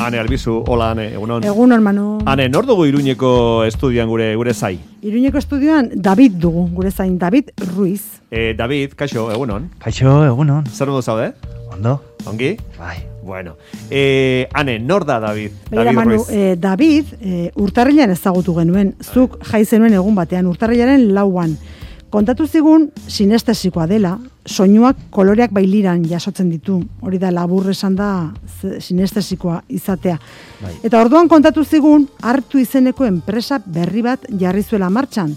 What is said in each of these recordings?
Ane Albizu, hola Ane, egunon. Egunon, Manu. Ane, nor dugu Iruñeko estudioan gure zai? Iruñeko estudioan David dugu, gure zain, David Ruiz. David, kaixo, egunon. Kaixo, egunon. Zer modu zaude? Ondo. Ongi? Bai. Bueno, Ane, nor da David? Begira, David Manu, Ruiz. David urtarrilean ezagutu genuen, zuk jai zenuen egun batean, urtarrilaren 4an. Kontatu zigun sinestesikoa dela, soinuak koloreak bailiran jasotzen ditu. Hori da labur esan da sinestesikoa izatea. Bai. Eta orduan kontatu zigun hartu izeneko enpresa berri bat jarri zuela martxan.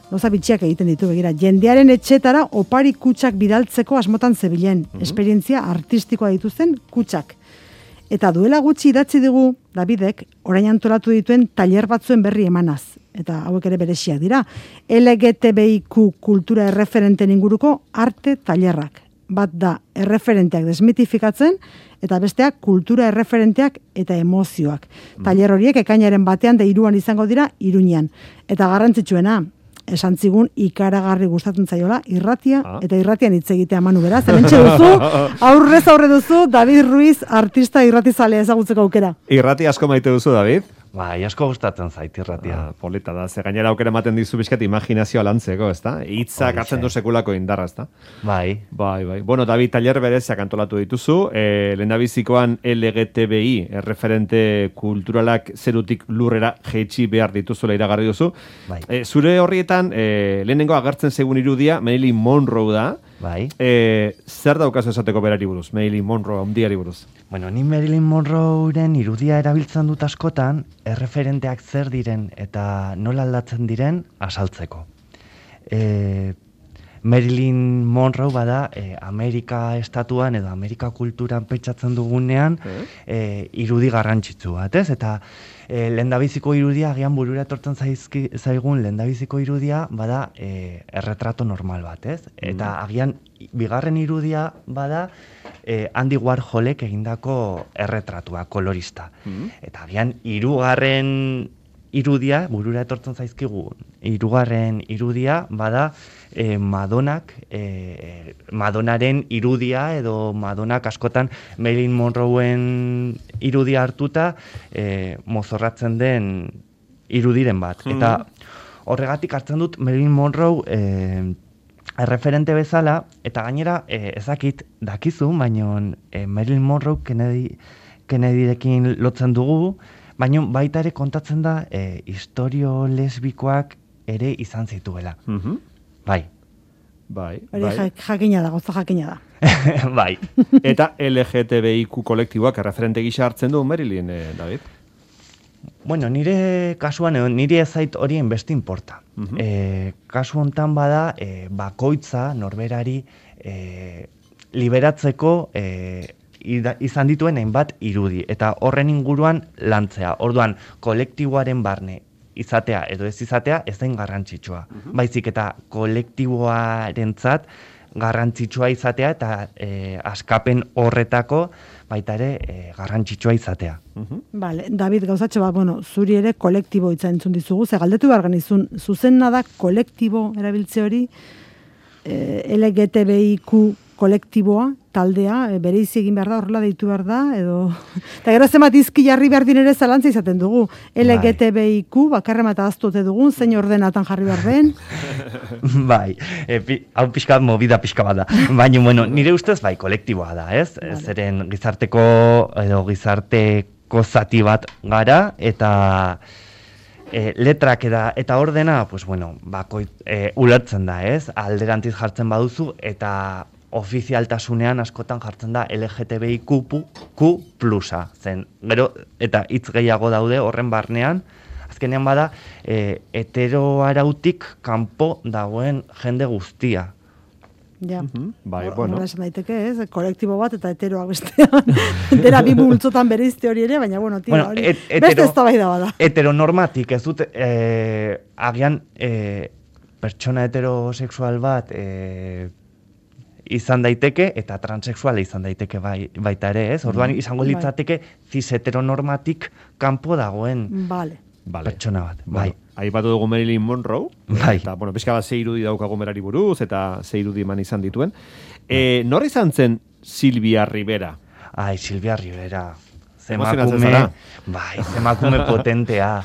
Gauza bitxiak egiten ditu, begira. Jendearen etxetara opari kutsak bidaltzeko asmotan zebilen. Esperientzia artistikoa dituzten kutsak. Eta duela gutxi idatzi digu Davidek orain antolatu dituen tailer batzuen berri emanaz. Eta hauek ere bereziak dira. LGTBIQ kultura erreferenten inguruko arte tailerrak. Bat da erreferenteak desmitifikatzen eta besteak kultura erreferenteak eta emozioak. Tailer horiek ekainaren batean da 3an izango dira Iruñean. Eta garrantzitsuena, esan zigun ikaragarri gustatzen zaiola irratia eta irratian hitz egitea Manu beraz. Hementxe duzu, aurrez aurre duzu David Ruiz artista irratizalea ezagutzeko aukera. Irrati asko maite duzu, David? Bai, asko gustatzen zait irratia. Polita da, ze gainera aukera ematen dizu bizkat imaginazioa lantzeko, ezta? Hitzak hartzen du sekulako indarra, ezta? Bai. Bai. Bueno, David, tailer bereziak antolatu dituzu, lehendabizikoan LGTBI, erreferente kulturalak zerutik lurrera jeitsi behar dituzula iragarri duzu. Bai. Zure horrietan, lehenengo agertzen segun irudia, Marilyn Monroe da. Bai. Zer daukazu esateko berari buruz, Marilyn Monroe, handiari buruz? Bueno, ni Marilyn Monroeren irudia erabiltzen dut askotan, erreferenteak zer diren eta nola aldatzen diren azaltzeko. Marilyn Monroe bada Amerika estatuan edo Amerika kulturan pentsatzen dugunean irudi garrantzitsu bat, ez? Eta lehendabiziko irudia, agian burura etortzen zaigun lehendabiziko irudia bada erretrato normal bat, ez? Eta agian bigarren irudia bada Andy Warholek egindako erretratua, kolorista. Eta agian hirugarren irudia, burura etortzen zaizkigu, hirugarren irudia bada Madonaren irudia edo Madonak askotan Marilyn Monroeen irudia hartuta mozorratzen den irudiren bat. Eta horregatik hartzen dut Marilyn Monroe erreferente bezala, eta gainera ezakit dakizu, baina Marilyn Monroe Kennedyrekin lotzen dugu, baina baita ere kontatzen da istorio lesbikoak ere izan zituela. Bai. Jakina da, goza jakina da. Bai. Eta LGTBIQ kolektiboak erreferente gisa hartzen du Marilyn, David? Bueno, nire kasuan, nire ezait horien beste inporta. Kasu hontan bada, bakoitza norberari liberatzeko izan dituen hainbat irudi. Eta horren inguruan lantzea. Orduan, kolektiboaren barne izatea edo ez izatea ez den garrantzitsua. Baizik eta kolektiboarentzat garrantzitsua izatea eta askapen horretako baita ere garrantzitsua izatea. Vale, David, gauzatxo bat, zuri ere kolektibo hitza entzun dizugu, ze galdetu behar genizun, zuzenna da kolektibo erabiltze hori, LGTBIQ kolektiboa, taldea, bereizi egin behar da, horrela deitu behar da, edo... Eta gero zemat izki jarri behar dinere zalantza izaten dugu. LGTBIQ, bakarra eta aztote dugun, zein ordenatan jarri behar den. Bai, hau pixka bat, movida pixka bat da. Baina, bueno, nire ustez, bai, kolektiboa da, ez? Vale. Zeren gizarteko, edo gizarteko zati bat gara, eta... letrak eta ordena, pues bueno, ulertzen da, ez? Alderantziz jartzen baduzu, eta ofizialtasunean askotan jartzen da LGTBIQ plusa, zen. Gero, eta hitz gehiago daude horren barnean, azkenean bada, heteroarautik kanpo dagoen jende guztia. Ja, bai, bueno. Esan daiteke, ez? Kolektibo bat eta heteroak bestean. Dera bi multzotan bereizte hori ere, baina, bueno, tira, hori. Beste ez da bai da bada. Heteronormatik, ez dut, agian, pertsona heterosexual bat izan daiteke, eta transexuala izan daiteke baita ere, ez? Orduan, izango litzateke cis heteronormatik kanpo dagoen pertsona bat, bai. Aipatu dugu Marilyn Monroe, bai. Eta, bueno, pixka bat 6 irudi daukagu berari buruz, eta 6 irudi eman izan dituen. Nor izan zen Silvia Rivera? Ai, Silvia Rivera. Emakume potentea.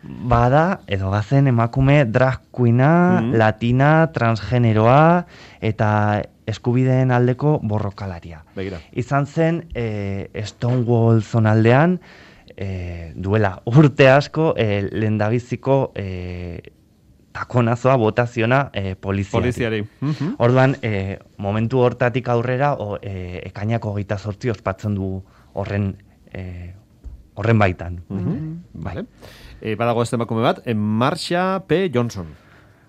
Bada, edo bazen emakume drag queena, latina, transgeneroa, eta eskubideen aldeko borrokalaria. Begira. Izan zen Stonewall zonaldean, duela urte asko, lehendabiziko takonazoa botaziona poliziari. Orduan, momentu hortatik aurrera, ekainako 28 ospatzen du horren baitan. Vale. Badago ez emakume bat, Marsha P. Johnson.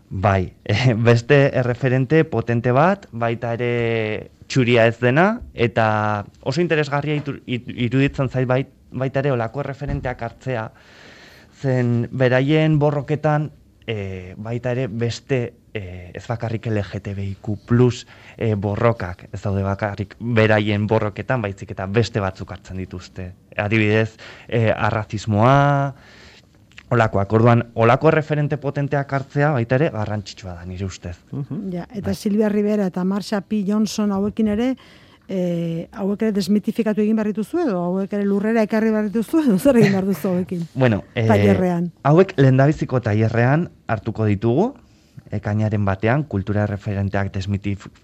Bai, beste erreferente potente bat, baita ere txuria ez dena, eta oso interesgarria iruditzen zait baita ere olako erreferenteak hartzea, zen beraien borroketan baita ere beste ez bakarrik LGTBIQ+ borrokak, ez daude bakarrik beraien borroketan, baizik eta beste batzuk hartzen dituzte. Adibidez, arrazismoa, olakoak. Orduan, olako referente potenteak hartzea baita ere garrantzitsua da, nire ustez. Ja, eta Silvia Rivera eta Marsha P. Johnson hauekin ere, hauek ere desmitifikatu egin behar dituzu edo hauek ere lurrera ekarri behar dituzu edo zer egin behar duzu hauekin? Bueno, tailerrean. Hauek lehendabiziko tailerrean hartuko ditugu, ekainaren batean, kultura referenteak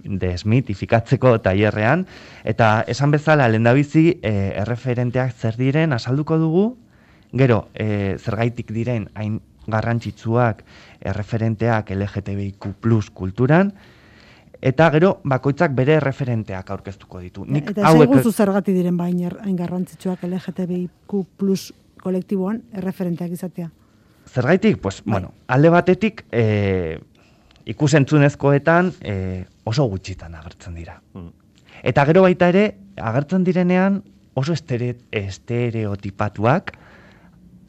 desmitifikatzeko tailerrean, eta esan bezala lehendabizi erreferenteak zer diren azalduko dugu, gero, zergaitik diren hain garrantzitsuak erreferenteak LGTBIQ+ kulturan, eta gero bakoitzak bere referenteak aurkeztuko ditu. Eta esaiguzu zergati diren hain garrantzitsuak LGTBIQ+ kolektiboan erreferenteak izatea? Zergaitik? Pues, bueno, alde batetik ikusentzunezkoetan oso gutxitan agertzen dira. Eta gero baita ere, agertzen direnean oso estereotipatuak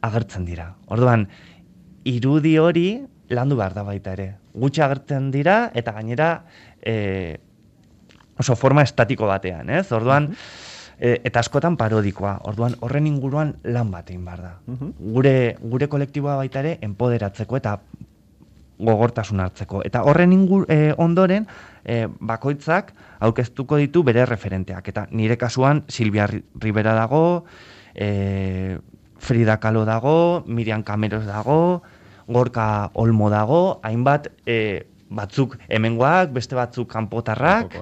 agertzen dira. Orduan, irudi hori landu behar da baita ere. Gutxi agertzen dira eta gainera oso forma estatiko batean, ez? Orduan, eta askotan parodikoa. Orduan, horren inguruan lan bat egin behar da. Gure kolektiboa baita ere enpoderatzeko eta gogortasun hartzeko. Eta horren ondoren, bakoitzak aurkeztuko ditu bere referenteak. Eta nire kasuan Silvia Rivera dago, Frida Kahlo dago, Miriam Cameros dago, Gorka Olmo dago, hainbat batzuk hemengoak, beste batzuk kanpotarrak.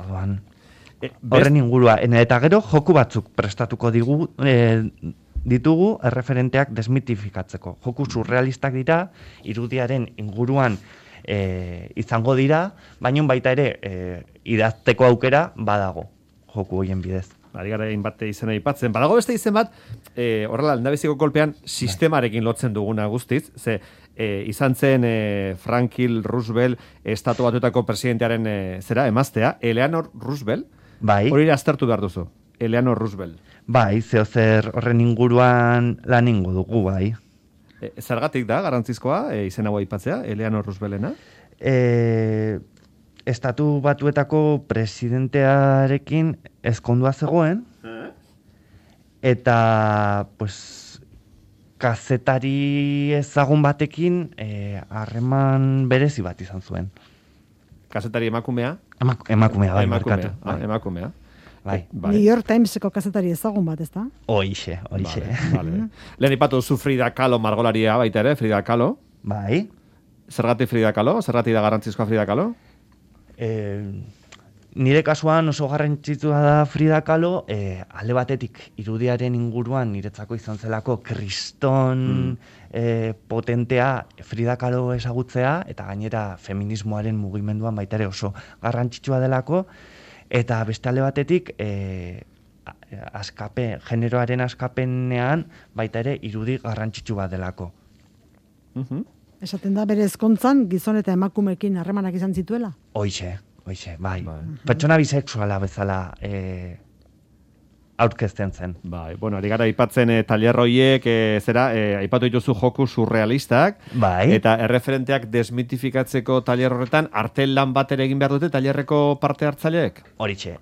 Orduan, horren ingurua. Eta gero, joku batzuk prestatuko ditugu erreferenteak desmitifikatzeko. Joku surrealistak dira, irudiaren inguruan izango dira, baina baita ere idazteko aukera badago joku horien bidez. Ari gara bat izena aipatzen. Badago beste izen bat, horrela, lehendabiziko kolpean sistemarekin lotzen duguna guztiz, ze izan zen Franklin Roosevelt estatu batuetako presidentearen emaztea, Eleanor Roosevelt, hori aztertu behar duzu, Eleanor Roosevelt. Bai, zer horren inguruan lan ingo dugu, bai. Zergatik da, garantzizkoa, izen hau aipatzea, Eleanor Rooseveltena? Estatu batuetako presidentearekin ezkondua zegoen, eta, pues, kazetari ezagun batekin harreman berezi bat izan zuen. Kazetari emakumea? Emakumea, bai, markatu. Emakumea. Bai. New York Timeseko kazetari ezagun bat, ez da? Hoixe. Lehen ipatu zu Frida Kahlo margolaria baita ere, Frida Kahlo. Bai. Zergatik Frida Kahlo? Zergatik da garrantzizkoa Frida Kahlo? Nire kasuan oso garrantzitsua da Frida Kahlo, alde batetik irudiaren inguruan niretzako izan zelako kriston potentea Frida Kahlo ezagutzea, eta gainera feminismoaren mugimenduan baita ere oso garrantzitsua delako, eta beste alde batetik generoaren askapenean baita ere irudi garrantzitsu bat delako. Esaten da bere ezkontzan gizon eta emakumeekin harremanak izan zituela? Hoixe, bai. Pertsona bisexuala bezala aurkezten zen. Bai, bueno, ari gara aipatzen tailerroiek, aipatu dituzu joku surrealistak, bai. Eta erreferenteak desmitifikatzeko tailer horretan, artel lan bat ere egin behar dute tailerreko parte hartzaileek? Horixe,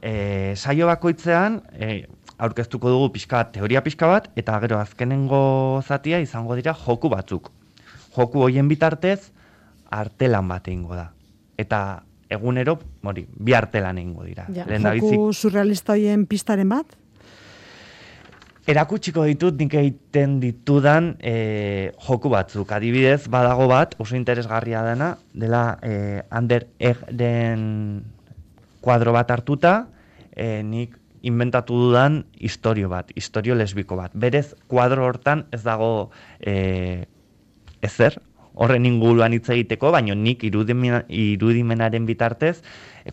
saio bakoitzean, aurkeztuko dugu teoria pixka bat, eta gero azkenengo zatia izango dira joku batzuk. Joku hoien bitartez, artelan bat egingo da. Eta egunero, bi artelan egingo dira. Ja, joku surrealista hoien pistaren bat? Erakutsiko ditut nik egiten ditudan joku batzuk. Adibidez, badago bat, oso interesgarria dela Ander Egren kuadro bat hartuta, nik inventatu dudan istorio lesbiko bat. Berez, kuadro hortan ez dago ezer, horren inguruan hitz egiteko, baina nik irudimenaren bitartez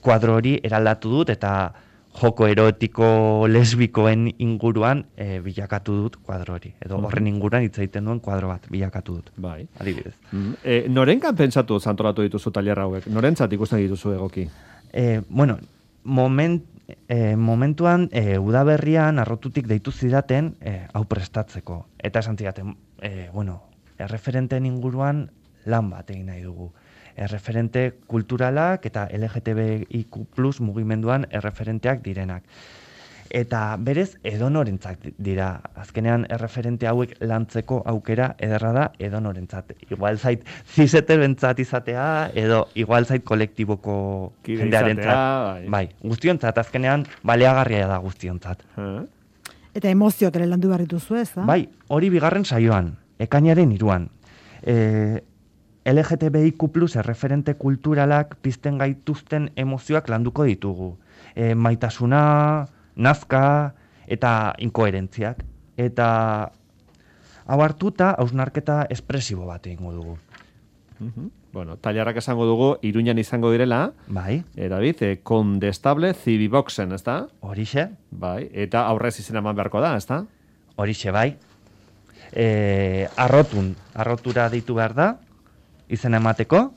kuadro hori eraldatu dut eta joko erotiko lesbikoen inguruan bilakatu dut kuadro hori. Edo horren inguruan hitz egiten duen kuadro bat bilakatu dut. Bai. Adibidez. Norenkan pentsatu antolatu dituzu tailer hauek? Norentzat ikusten dituzu egoki? Bueno, momentuan udaberrian arrotutik deitu zidaten hau prestatzeko. Eta esan zidaten, erreferenteen inguruan lan bat egin nahi dugu. Erreferente kulturalak eta LGTBIQ+ mugimenduan erreferenteak direnak. Eta berez edonorentzat dira. Azkenean erreferente hauek lantzeko aukera ederra da edonorentzat. Igual zait ziseterentzat izatea edo igual zait kolektiboko jendearentzat. Bai, guztiontzat azkenean baleagarria da guztiontzat. Eta emozioak ere landu behar dituzu ez, da? Bai, hori bigarren saioan, ekainaren 3an. LGTBIQ+ erreferente kulturalak pizten gaituzten emozioak landuko ditugu. Maitasuna, nazka eta inkoherentziak. Eta hau hartuta hausnarketa espresibo bat egingo dugu. Bueno, tailerrak esango dugu, Iruñan izango direla. Bai. David, Condestable Cibiboxen, ez da? Horixe. Bai, eta aurrez izena eman beharko da, ez da? Horixe, bai. Arrotura deitu behar da, izena emateko,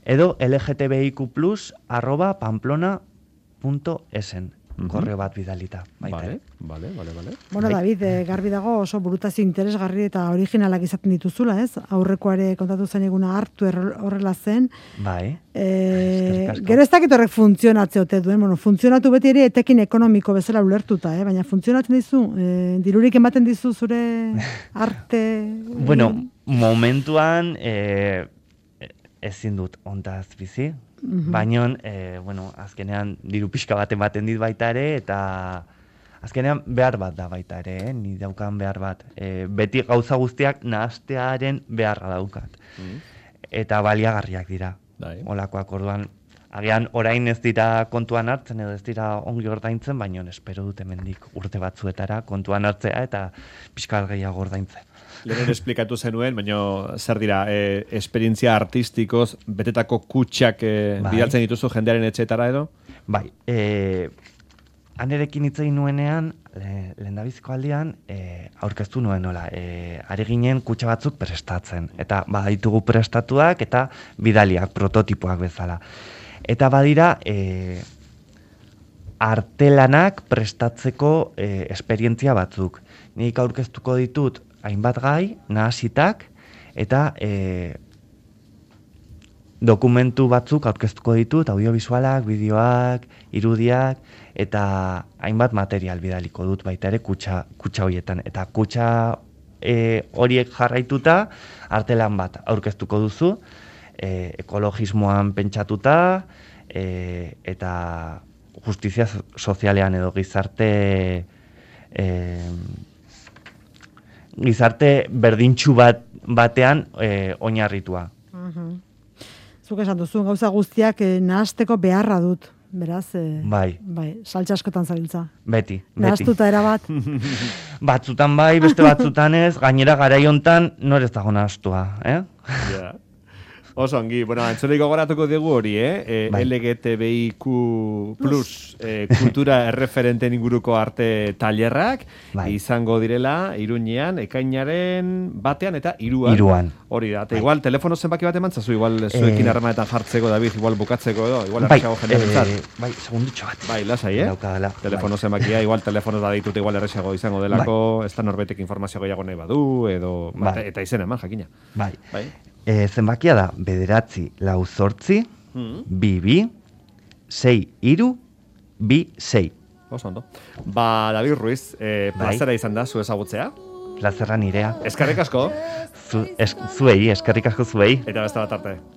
edo lgtbiq+@pamplona.esen korreo bat bidalita. Vale. Bueno, David, garbi dago oso burutazio interesgarri eta originalak izaten dituzula, ez? Aurrekoare kontatu zen eguna hartu horrela zen. Bai. Gero ez dakit horrek funtzionatze ote duen, funtzionatu beti ere etekin ekonomiko bezala ulertuta, baina funtzionatzen dizu, dirurik ematen dizu zure arte... Bueno, momentuan ezin dut ontaz bizi, baina, azkenean diru pixka bat ematen dit baita ere, eta azkenean behar bat da baita ere, ni daukan behar bat. Beti gauza guztiak nahastearen beharra daukat. Eta baliagarriak dira. Olakoak orduan, agian orain ez dira kontuan hartzen edo ez dira ongi ordaintzen, baina espero dut hemendik urte batzuetara kontuan hartzea eta pixka gehiago ordaintzen. Lehen esplikatu zenuen, baina zer dira, esperientzia artistikoz betetako kutxak bidaltzen dituzu jendearen etxetara edo? Bai, anerekin hitz egin nuenean, lehendabiziko aldian, aurkeztu nuen nola, ari ginen kutxa batzuk prestatzen. Eta baditugu prestatuak eta bidaliak, prototipoak bezala. Eta badira, artelanak prestatzeko esperientzia batzuk. Nik aurkeztuko ditut hainbat gai, nahasitak, eta dokumentu batzuk aurkeztuko ditut, audiovisualak, bideoak, irudiak, eta hainbat material bidaliko dut baita ere kutxa horietan. Eta kutxa horiek jarraituta, artelan bat aurkeztuko duzu, ekologismoan pentsatuta, eta justizia sozialean edo gizarte berdintxu batean oinarritua. Zuk esan duzu, gauza guztiak nahasteko beharra dut, beraz? Bai. Saltsa askotan zabiltza. Beti. Nahastuta erabat. Batzutan bai, beste batzutan ez, gainera garaiontan norez dago nahastua, Ja. Oso ongi, entzulei gogoratuko dugu hori, LGTBIQ+ kultura erreferenten inguruko arte tailerrak, izango direla, Iruñean, ekainaren batean eta 3an. Hori da, eta igual, telefono zenbaki bat emantzazu, igual zuekin harremanetan jartzeko, David, igual bukatzeko edo, igual erresago jendearentzat. Segundutxo bat. Lasai, telefono zenbakia, igual telefono da ditut, igual erresago izango delako, ez da norbetek informazio gehiago nahi badu, edo, eta izena eman, jakina. Bai. Zenbakia da, 9-4-8, 2-2-6-3-2-6. Oso ondo. David Ruiz, plazera izan da, zu ezagutzea? Plazera nirea. Eskerrik asko. Zuei, eskerrik asko zuei. Eta beste bat arte.